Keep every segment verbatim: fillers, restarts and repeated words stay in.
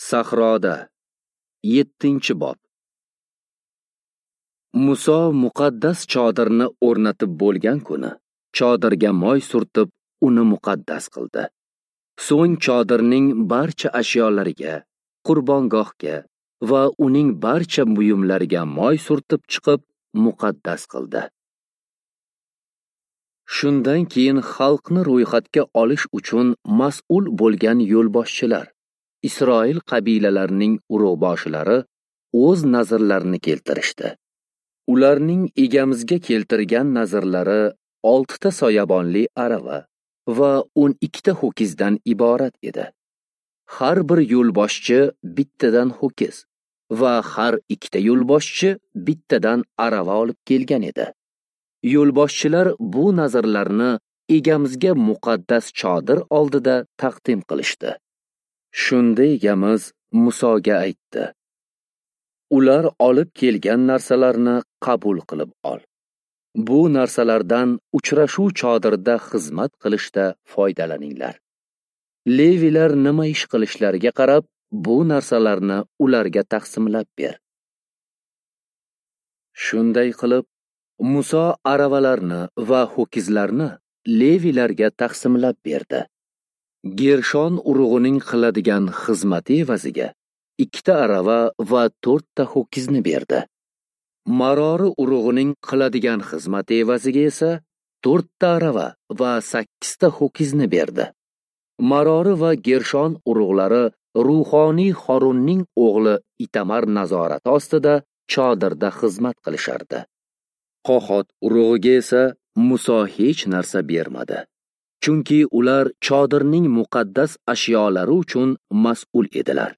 Sahroda yettinchi bob. Muso muqaddas chodirni o'rnatib bo'lgan kuni chodirga moy surtib uni muqaddas qildi. So'ng chodirning barcha ashyolariga, qurbongohga va uning barcha buyumlariga moy surtib chiqib muqaddas qildi. Shundan keyin xalqni ro'yxatga olish uchun mas'ul bo'lgan yo'lboshchilar, Isroil qabilalarining urug'boshilari o'z nazrlarini keltirishdi. Ularning egamizga keltirgan nazrlari oltita soyabonli arava va o'n ikkita ho'kizdan iborat edi. Har bir yo'lboshchi bittadan ho'kiz va har ikkita yo'lboshchi bittadan arava olib kelgan edi. Yo'lboshchilar bu nazrlarni egamizga muqaddas chodir oldida taqdim qilishdi. Shunda egamiz Musoga aytdi: Ular olib kelgan narsalarni qabul qilib ol. Bu narsalardan uchrashuv chodirida xizmat qilishda foydalaninglar. Levilar nima ish qilishlariga qarab, bu narsalarni ularga taqsimlab ber. Shunday qilib, Muso aravalarni va ho'kizlarni levilarga taqsimlab berdi. Gershon urug'ining qiladigan xizmati evaziga ikkita arava va to'rtta ho'kizni berdi. Marori urug'ining qiladigan xizmati evaziga esa to'rtta arava va sakkizta ho'kizni berdi. Marori va Gershon urug'lari ruhoniy Xorunning o'g'li Itamar nazorati ostida chodirda xizmat qilishardi. Qohot urug'iga esa Muso hech narsa bermadi. Chunki ular chodirning muqaddas ashyolari uchun mas'ul edilar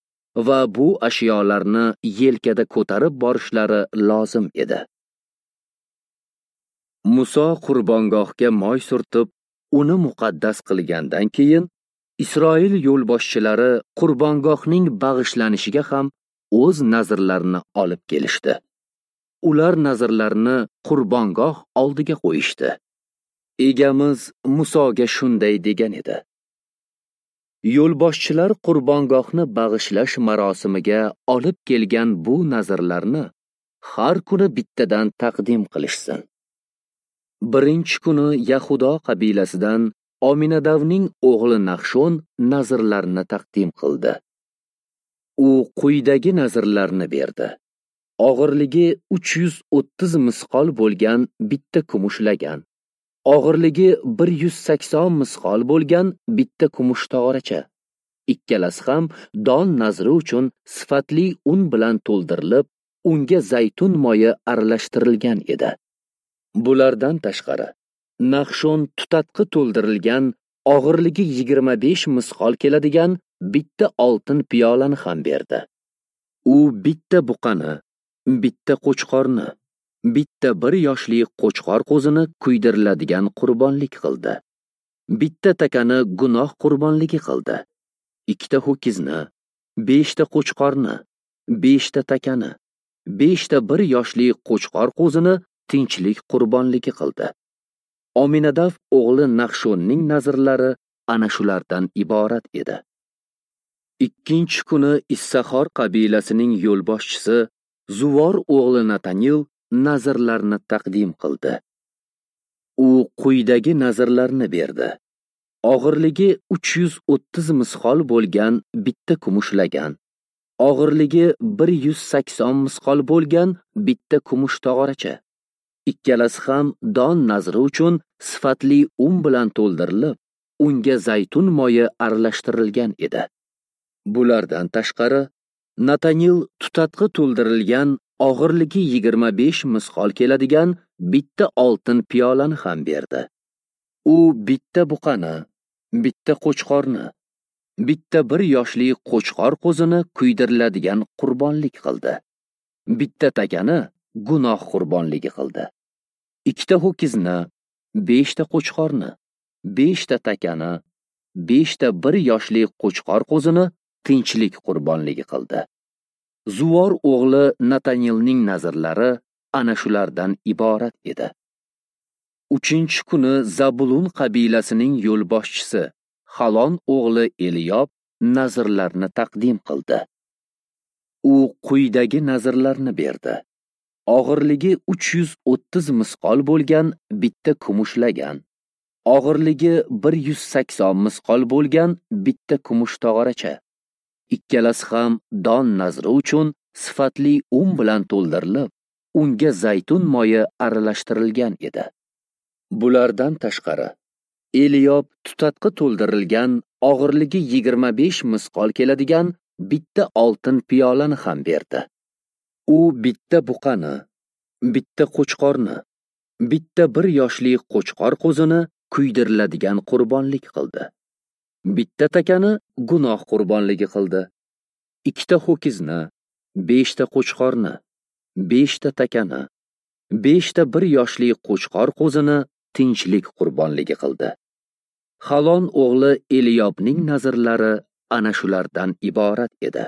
va bu ashyolarni yelkada ko'tarib borishlari lozim edi. Muso qurbongohga moy surtib, uni muqaddas qilgandan keyin Isroil yo'lboshchilari qurbongohning bag'ishlanishiga ham o'z nazrlarini olib kelishdi. Ular nazrlarini qurbongoh oldiga qo'yishdi. Egamiz Musoga shunday degan edi: Yo'lboshchilar qurbongohni bag'ishlash marosimiga olib kelgan bu nazrlarni har kuni bittadan taqdim qilishsin. Birinchi kuni Yahudo qabilasidan Ominadavning o'g'li Nahshon nazrlarni taqdim qildi. U quyidagi nazrlarni berdi: Og'irligi uch yuz o'ttiz misqol bo'lgan bitta kumush lagan, og'irligi bir yuz sakson misqol bo'lgan bitta kumush tog'oracha. Ikkalasi ham don nazri uchun sifatli un bilan to'ldirilib, unga zaytun moyi aralashtirilgan edi. Bulardan tashqari, Nahshon tutatqi to'ldirilgan, og'irligi yigirma besh misqol keladigan bitta oltin piyolani ham berdi. U bitta buqani, bitta qo'chqorni, bitta bir yoshli qo'chqor qo'zini kuydiriladigan qurbonlik qildi. Bitta takani gunoh qurbonligi qildi. Ikkita ho'kizni, beshta qo'chqorni, beshta takani, beshta bir yoshli qo'chqor qo'zini tinchlik qurbonligi qildi. Ominadav o'g'li Nahshonning nazrlari ana shulardan iborat edi. Ikkinchi kuni Issahor qabilasining yo'lboshchisi Zuvor o'g'li Natanil nazrlarni taqdim qildi. U quyidagi nazrlarni berdi: Og'irligi uch yuz o'ttiz misqol bo'lgan bitta kumush lagan, og'irligi bir yuz sakson misqol bo'lgan bitta kumush tog'oracha. Ikkalasi ham don nazri uchun sifatli un bilan to'ldirilib, unga zaytun moyi aralashtirilgan edi. Bulardan tashqari, Natanil tutatqi to'ldirilgan, og'irligi yigirma besh misqol keladigan bitta oltin piyolani ham berdi. U bitta buqani, bitta qo'chqorni, bitta bir yoshli qo'chqor qo'zini kuydiriladigan qurbonlik qildi. Bitta takani gunoh qurbonligi qildi. Ikkita ho'kizni, beshta qo'chqorni, beshta takani, beshta bir yoshli qo'chqor qo'zini tinchlik qurbonligi qildi. Zuvor o'g'li Natanilning nazrlari ana shulardan iborat edi. Uchinchi kuni Zabulun qabilasining yo'lboshchisi Halon o'g'li Eliyob nazrlarni taqdim qildi. U quyidagi nazrlarni berdi. Og'irligi uch yuz o'ttiz misqol bo'lgan bitta kumush lagan, og'irligi bir yuz sakson misqol bo'lgan bitta kumush tog'oracha. Ikkalasi ham don nazri uchun sifatli un bilan to'ldirilib, unga zaytun moyi aralashtirilgan edi. Bulardan tashqari, Eliyob tutatqi to'ldirilgan, og'irligi yigirma besh misqol keladigan bitta oltin piyolani ham berdi. U bitta buqani, bitta qo'chqorni, bitta bir yoshli qo'chqor qo'zini kuydiriladigan qurbonlik qildi. Bitta takani gunoh qurbonligi qildi. Ikkita ho'kizni, beshta qo'chqorni, beshta takani, beshta bir yoshli qo'chqor qo'zini tinchlik qurbonligi qildi. Halon o'g'li Eliyobning nazrlari ana shulardan iborat edi.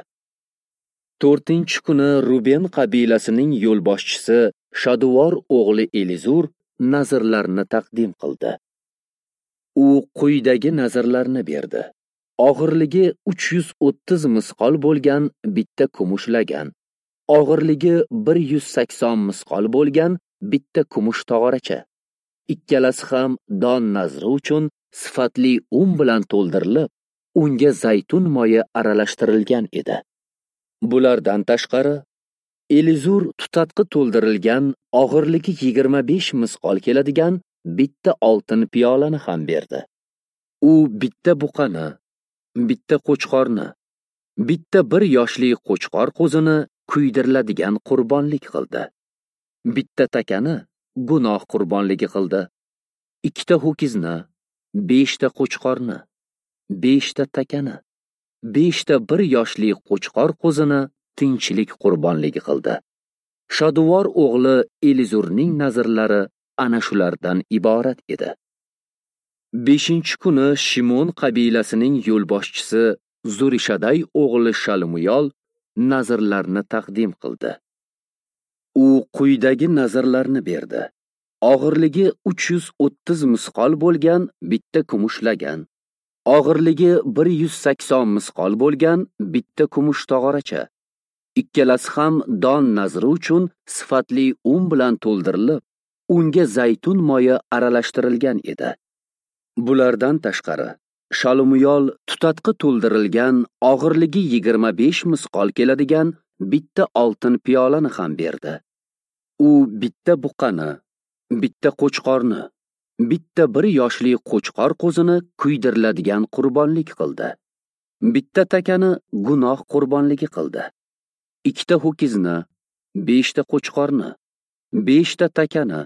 To'rtinchi kuni Ruben qabilasining yo'lboshchisi Shaduvor o'g'li Elizur nazrlarni taqdim qildi. U quyidagi nazrlarni berdi. Og'irligi uch yuz o'ttiz misqol bo'lgan bitta kumush lagan, og'irligi bir yuz sakson misqol bo'lgan bitta kumush tog'oracha. Ikkalasi ham don nazri uchun sifatli un bilan to'ldirilib, unga zaytun moyi aralashtirilgan edi. Bulardan tashqari, Elizur tutatqi to'ldirilgan, og'irligi yigirma besh misqol keladigan bitta oltin piyolani ham berdi. U bitta buqani, bitta qo'chqorni, bitta bir yoshli qo'chqor qo'zini kuydiriladigan qurbonlik qildi. Bitta takani gunoh qurbonligi qildi. Ikkita ho'kizni, beshta qo'chqorni, beshta takani, beshta bir yoshli qo'chqor qo'zini tinchlik qurbonligi qildi. Shaduvor o'g'li Elizurning nazrlari ana shulardan iborat edi. Beshinchi kuni Shimon qabilasining yo'lboshchisi Zurishaday o'g'li Shalmuyol nazrlarni taqdim qildi. U quyidagi nazrlarni berdi. Og'irligi uch yuz o'ttiz misqol bo'lgan bitta kumush lagan, og'irligi bir yuz sakson misqol bo'lgan bitta kumush tog'oracha. Ikkalasi ham don nazri uchun sifatli un bilan to'ldirilib, unga zaytun moyi aralashtirilgan edi. Bulardan tashqari, Shalmuyol tutatqi to'ldirilgan, og'irligi yigirma besh misqol keladigan bitta oltin piyolani ham berdi. U bitta buqani, bitta qo'chqorni, bitta bir yoshli qo'chqor qo'zini kuydiriladigan qurbonlik qildi. Bitta takani gunoh qurbonligi qildi. Ikkita ho'kizni, beshta qo'chqorni, beshta takani,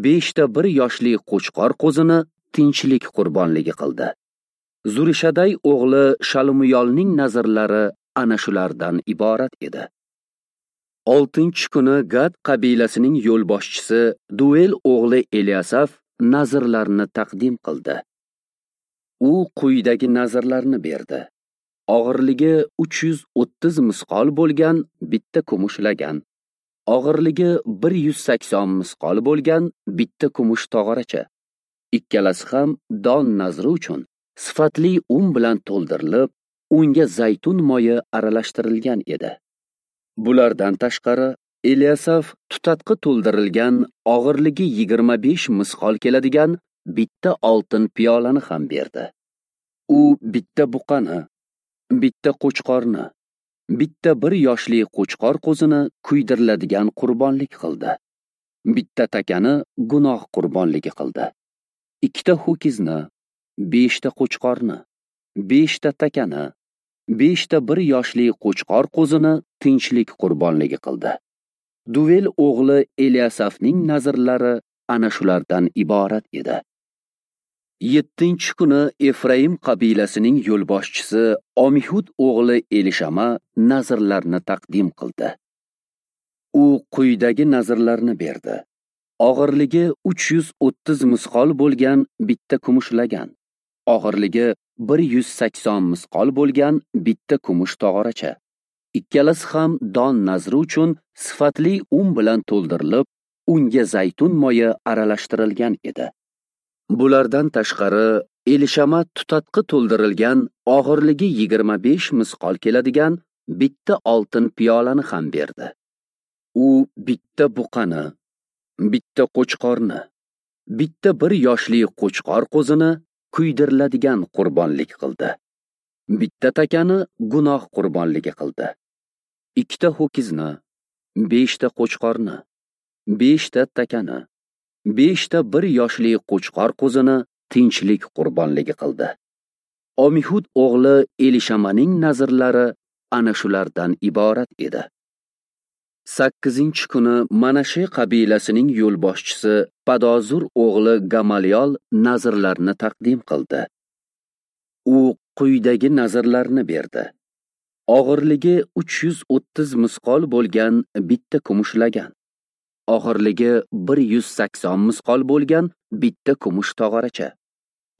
beshta bir yoshli qo'chqor qo'zini tinchlik qurbonligi qildi. Zurishaday o'g'li Shalmuyolning nazrlari ana shulardan iborat edi. Oltinchi kuni Gad qabilasining yo'lboshchisi Duel o'g'li Eliasaf nazrlarni taqdim qildi. U quyidagi nazrlarni berdi. Og'irligi uch yuz o'ttiz misqol bo'lgan bitta kumush lagan, og'irligi bir yuz sakson misqol bo'lgan bitta kumush tog'oracha. Ikkalasi ham don nazri uchun sifatli un bilan to'ldirilib, unga zaytun moyi aralashtirilgan edi. Bulardan tashqari, Eliasaf tutatqi to'ldirilgan, og'irligi yigirma besh misqol keladigan bitta oltin piyolani ham berdi. U bitta buqani, bitta qo'chqorni, bitta bir yoshli qo'chqor qo'zini kuydiriladigan qurbonlik qildi. Bitta takani gunoh qurbonligi qildi. Ikkita ho'kizni, beshta qo'chqorni, beshta takani, beshta bir yoshli qo'chqor qo'zini tinchlik qurbonligi qildi. Duvel o'g'li Eliasafning nazrlari ana shulardan iborat edi. Yettinchi kuni Efraim qabilasining yo'lboshchisi Omihud o'g'li Elishama nazrlarni taqdim qildi. U quyidagi nazrlarni berdi. Og'irligi uch yuz o'ttiz misqol bo'lgan bitta kumush lagan, og'irligi bir yuz sakson misqol bo'lgan bitta kumush tog'oracha. Ikkalasi ham don nazri uchun sifatli un bilan to'ldirilib, unga zaytun moyi aralashtirilgan edi. Bulardan tashqari, Elishama tutatqi to'ldirilgan, og'irligi yigirma besh misqol keladigan bitta oltin piyolani ham berdi. U bitta buqani, bitta qo'chqorni, bitta bir yoshli qo'chqor qo'zini kuydiriladigan qurbonlik qildi. Bitta takani gunoh qurbonligi qildi. Ikkita ho'kizni, beshta qo'chqorni, beshta takani, beshta bir yoshli qo'chqor qo'zini tinchlik qurbonligi qildi. Omihud o'g'li Elishamaning nazrlari ana shulardan iborat edi. Sakkizinchi kuni Manashe qabilasining yo'lboshchisi Padozur o'g'li Gamaliyol nazrlarni taqdim qildi. U quyidagi nazrlarni berdi. Og'irligi uch yuz o'ttiz misqol bo'lgan bitta kumush lagan, og'irligi bir yuz sakson misqol bo'lgan bitta kumush tog'oracha.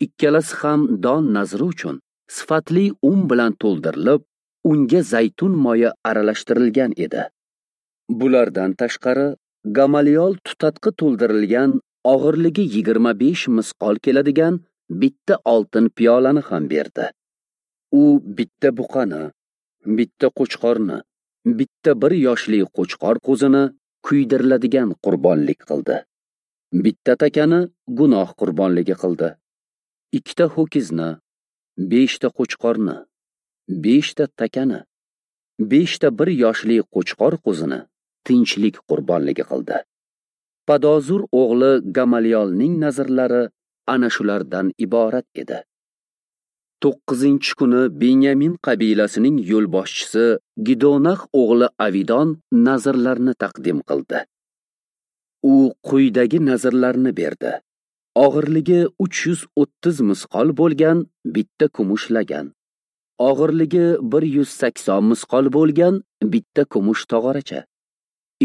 Ikkalasi ham don nazri uchun sifatli un bilan to'ldirilib, unga zaytun moyi aralashtirilgan edi. Bulardan tashqari, Gamaliyol tutatqi to'ldirilgan, og'irligi yigirma besh misqol keladigan bitta oltin piyolani ham berdi. U bitta buqani, bitta qo'chqorni, bitta bir yoshli qo'chqor qo'zini kuydiriladigan qurbonlik qildi. Bitta takani gunoh qurbonligi qildi. Ikkita ho'kizni, beshta qo'chqorni, beshta takani, beshta bir yoshli qo'chqor qo'zini tinchlik qurbonligi qildi. Padozur o'g'li Gamaliyolning nazrlari ana shulardan iborat edi. To'qqizinchi kuni Benyamin qabilasining yo'lboshchisi Gidonax o'g'li Avidon nazrlarni taqdim qildi. U quyidagi nazrlarni berdi. Og'irligi uch yuz o'ttiz misqol bo'lgan bitta kumush lagan, og'irligi bir yuz sakson misqol bo'lgan bitta kumush tog'oracha.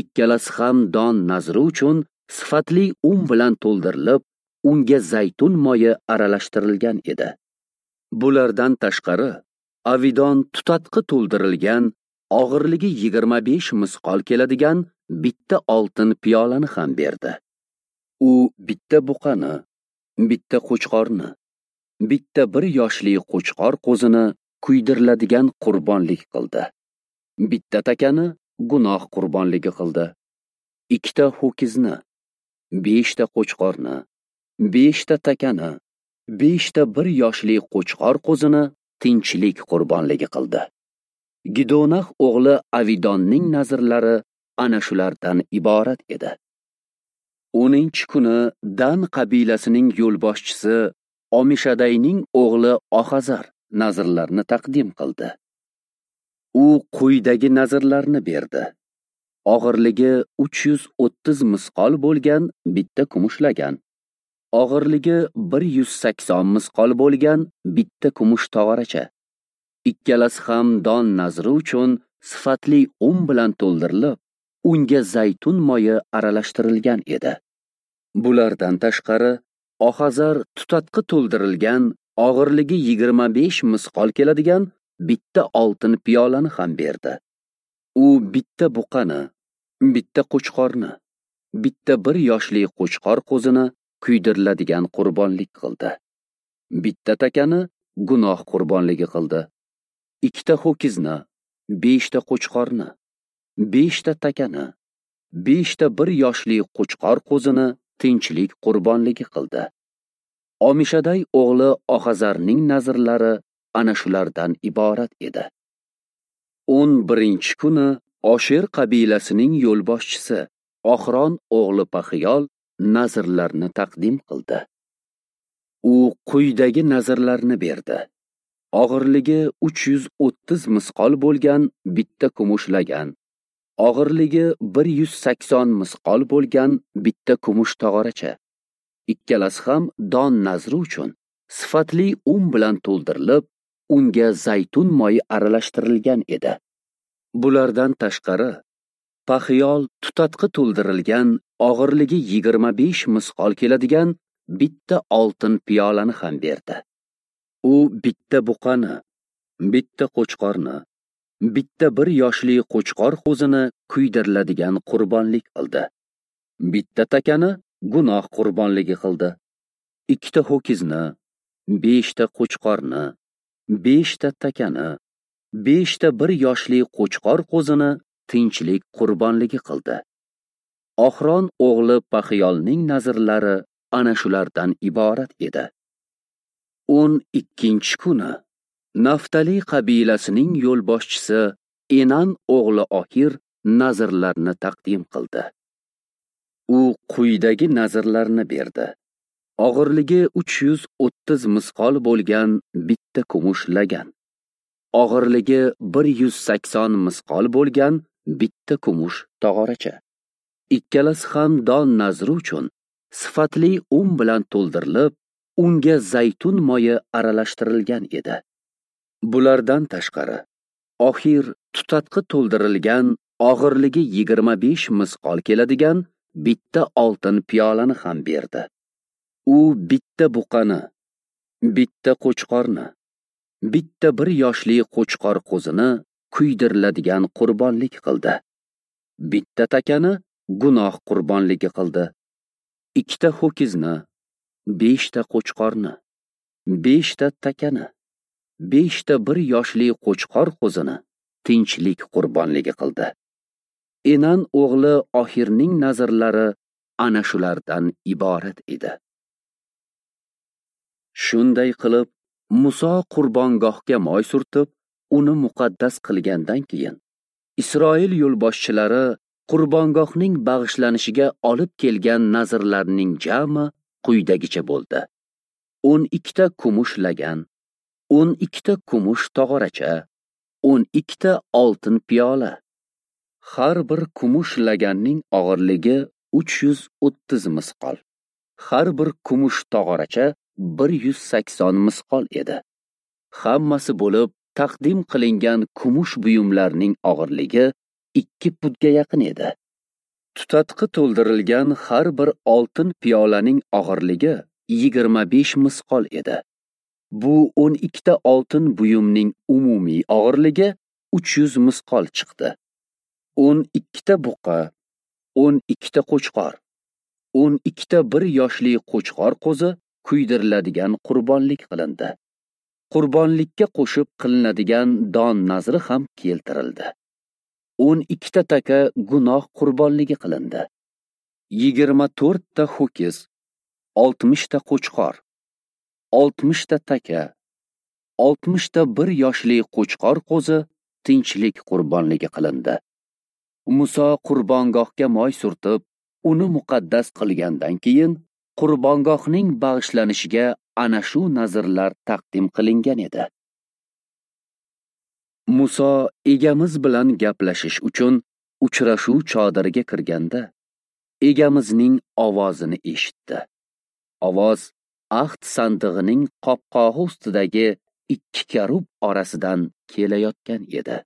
Ikkalasi ham don nazri uchun sifatli un bilan to'ldirilib, unga zaytun moyi aralashtirilgan edi. Bulardan tashqari, Avidon tutatqi to'ldirilgan, og'irligi yigirma besh misqol keladigan bitta oltin piyolani ham berdi. U bitta buqani, bitta qo'chqorni, bitta bir yoshli qo'chqor qo'zini kuydiriladigan qurbonlik qildi. Bitta takani gunoh qurbonligi qildi. Ikkita ho'kizni, beshta qo'chqorni, beshta takani, beshta bir yoshli qo'chqor qo'zini tinchlik qurbonligi qildi. Gidonax o'g'li Avidonning nazrlari ana shulardan iborat edi. O'ninchi kuni Dan qabilasining yo'lboshchisi Omishadayning o'g'li Ohazar nazrlarni taqdim qildi. U quyidagi nazrlarni berdi. Og'irligi uch yuz o'ttiz misqol bo'lgan bitta kumush lagan, og'irligi bir yuz sakson misqol bo'lgan bitta kumush tog'oracha. Ikkalasi ham don nazri uchun sifatli un bilan to'ldirilib, unga zaytun moyi aralashtirilgan edi. Bulardan tashqari, Ohazar tutatqi to'ldirilgan, og'irligi yigirma besh misqol keladigan bitta oltin piyolani ham berdi. U bitta buqani, bitta qo'chqorni, bitta bir yoshli qo'chqor qo'zini kuydiriladigan qurbonlik qildi. Bitta takani gunoh qurbonligi qildi. Ikkita ho'kizni, beshta qo'chqorni, beshta takani, beshta bir yoshli qo'chqor qo'zini tinchlik qurbonligi qildi. Omishaday o'g'li Ohazarning nazrlari ana shulardan iborat edi. O'n birinchi kuni Osher qabilasining yo'lboshchisi Oxron o'g'li Paxiyol nazrlarni taqdim qildi. U quyidagi nazrlarni berdi. Og'irligi uch yuz o'ttiz misqol bo'lgan bitta kumush lagan, og'irligi bir yuz sakson misqol bo'lgan bitta kumush tog'oracha. Ikkalasi ham don nazri uchun sifatli un bilan to'ldirilib, unga zaytun moyi aralashtirilgan edi. Bulardan tashqari, Paxiyol tutatqi to'ldirilgan, og'irligi yigirma besh misqol keladigan bitta oltin piyolani ham berdi. U bitta buqani, bitta qo'chqorni, bitta bir yoshli qo'chqor qo'zini kuydiriladigan qurbonlik qildi. Bitta takani gunoh qurbonligi qildi. Ikkita ho'kizni, beshta qo'chqorni, beshta takani, beshta bir yoshli qo'chqor qo'zini tinchlik qurbonligi qildi. Ohron o'g'li Paxiyolning nazrlari ana shulardan iborat edi. O'n ikkinchi kuni Naftali qabilasining yo'lboshchisi Enan o'g'li Ohir nazrlarni taqdim qildi. U quyidagi nazrlarni berdi. Og'irligi uch yuz o'ttiz misqol bo'lgan bitta kumush lagan, og'irligi bir yuz sakson misqol bo'lgan bitta kumush tog'oracha. Ikkalasi ham don nazri uchun sifatli un bilan to'ldirilib, unga zaytun moyi aralashtirilgan edi. Bulardan tashqari, Ohir tutatqi to'ldirilgan og'irligi yigirma besh misqol keladigan bitta oltin piyolani ham berdi. U bitta buqani, bitta qo'chqorni, bitta bir yoshli qo'chqor qo'zini kuydiriladigan qurbonlik qildi. Bitta takani gunoh qurbonligi qildi. Ikkita ho'kizni, beshta qo'chqorni, beshta takani, beshta bir yoshli qo'chqor qo'zini tinchlik qurbonligi qildi. Enan o'g'li Ohirning nazrlari ana shulardan iborat edi. Shunday qilib, Muso qurbongohga moy surtib, uni muqaddas qilgandan keyin Isroil yo'lboshchilari qurbongohning bag'ishlanishiga olib kelgan nazrlarning jami quyidagicha bo'ldi. o'n ikkita kumush lagan, o'n ikkita kumush tog'oracha, o'n ikkita oltin piyola. Har bir kumush laganning og'irligi uch yuz o'ttiz misqol. Har bir kumush tog'oracha bir yuz sakson misqol edi. Hammasi bo'lib taqdim qilingan kumush buyumlarning og'irligi ikki pudga yaqin edi. Tutatqi to'ldirilgan har bir oltin piyolaning og'irligi yigirma besh misqol edi. Bu o'n ikkita oltin buyumning umumiy og'irligi uch yuz misqol chiqdi. o'n ikkita buqa, o'n ikkita qo'chqor, o'n ikkita bir yoshli qo'chqor qo'zi kuydiriladigan qurbonlik qilindi. Qurbonlikka qo'shib qilinadigan don nazri ham keltirildi. o'n ikkita taka gunoh qurbonligi qilindi. yigirma to'rtta ho'kiz, oltmishta qo'chqor, oltmishta taka, oltmishta bir yoshli qo'chqor qo'zi tinchlik qurbonligi qilindi. Muso qurbongohga moy surtib, uni muqaddas qilgandan keyin qurbongohning bag'ishlanishiga ana shu nazrlar taqdim qilingan edi. Muso egamiz bilan gaplashish uchun uchrashuv chodiriga kirganda egamizning ovozini eshitdi. Ovoz ahd sandig'ining qopqog'i ustidagi ikki karub orasidan kelayotgan edi.